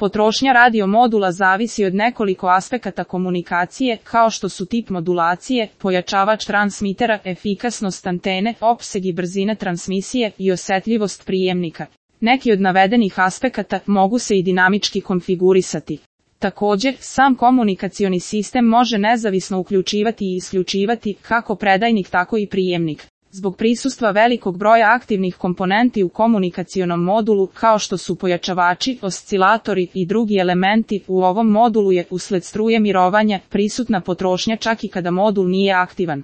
Potrošnja radio modula zavisi od nekoliko aspekata komunikacije, kao što su tip modulacije, pojačavač transmitera, efikasnost antene, opseg i brzina transmisije i osetljivost prijemnika. Neki od navedenih aspekata mogu se i dinamički konfigurisati. Također, sam komunikacioni sistem može nezavisno uključivati i isključivati kako predajnik tako i prijemnik. Zbog prisustva velikog broja aktivnih komponenti u komunikacionom modulu, kao što su pojačavači, oscilatori i drugi elementi, u ovom modulu je, usled struje mirovanja, prisutna potrošnja čak i kada modul nije aktivan.